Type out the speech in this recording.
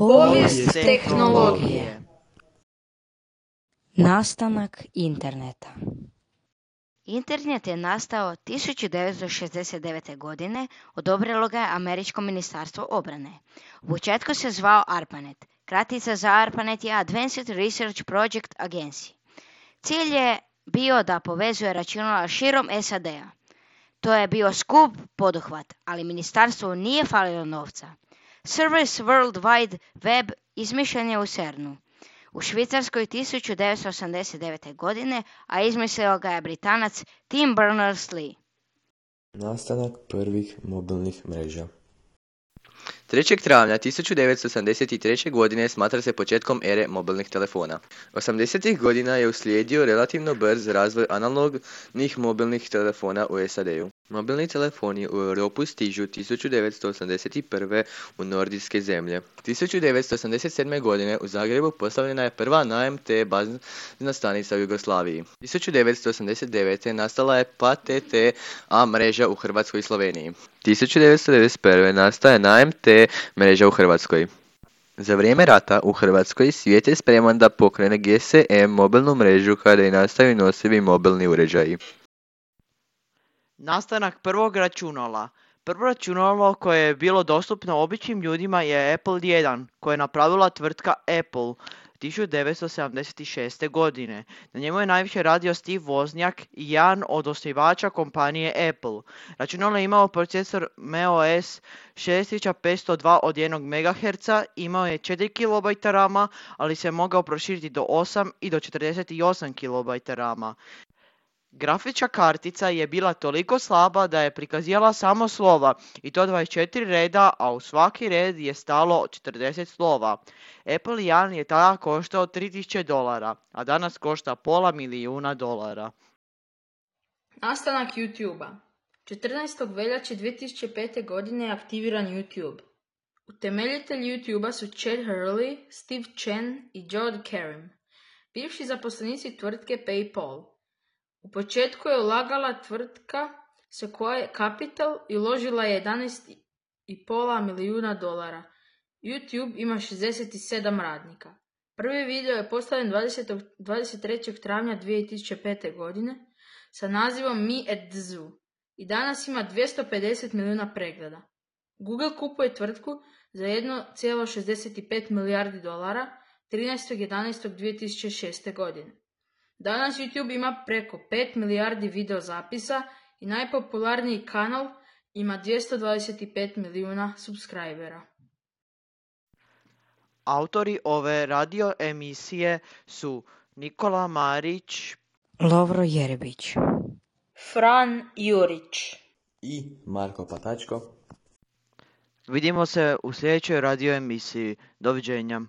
Povijest tehnologije. Nastanak interneta. Internet je nastao 1969. godine, odobrilo ga je Američko ministarstvo obrane. U početku se zvao ARPANET. Kratica za ARPANET je Advanced Research Project Agency. Cilj je bio da povezuje računala širom SAD-a. To je bio skup poduhvat, ali ministarstvu nije falilo novca. Service World Wide Web izmišljen je u CERN-u u Švicarskoj 1989. godine, a izmislio ga je Britanac Tim Berners-Lee. Nastanak prvih mobilnih mreža. 3. travnja 1983. godine smatra se početkom ere mobilnih telefona. 80. godina je uslijedio relativno brz razvoj analognih mobilnih telefona u SAD-u. Mobilni telefoni u Europu stižu 1981. u nordijske zemlje. 1987. godine u Zagrebu postavljena je prva na AMT bazna stanica u Jugoslaviji. 1989. nastala je PTT-A mreža u Hrvatskoj i Sloveniji. 1991. nastaje AMT mreža u Hrvatskoj. Za vrijeme rata u Hrvatskoj svijet je spreman da pokrene GSM mobilnu mrežu kada i nastaju nosivi mobilni uređaji. Nastanak prvog računala. Prvo računalo koje je bilo dostupno običnim ljudima je Apple I, koje je napravila tvrtka Apple 1976. godine. Na njemu je najviše radio Steve Wozniak, jedan od osnivača kompanije Apple. Računalo je imao procesor MeOS 6502 od 1 MHz, imao je 4 KB rama, ali se mogao proširiti do 8 i do 48 KB rama. Grafička kartica je bila toliko slaba da je prikazivala samo slova, i to 24 reda, a u svaki red je stalo 40 slova. Apple I je tada koštao $3000, a danas košta $500,000. Nastanak YouTube-a. 14. veljače 2005. godine je aktiviran YouTube. Utemeljitelji YouTube-a su Chad Hurley, Steve Chen i Jod Karim, bivši zaposlenici tvrtke PayPal. U početku je ulagala tvrtka Sequoia Capital i uložila je $11,5 milijuna. YouTube ima 67 radnika. Prvi video je postavljen 23. travnja 2005. godine sa nazivom Me at the Zoo i danas ima 250 milijuna pregleda. Google kupuje tvrtku za $1,65 milijardi 13.11.2006. godine. Danas YouTube ima preko 5 milijardi video zapisa i najpopularniji kanal ima 225 milijuna subscribera. Autori ove radio emisije su Nikola Marić, Lovro Jerebić, Fran Jurić I Marko Patačko. Vidimo se u sljedećoj radio emisiji. Doviđenja.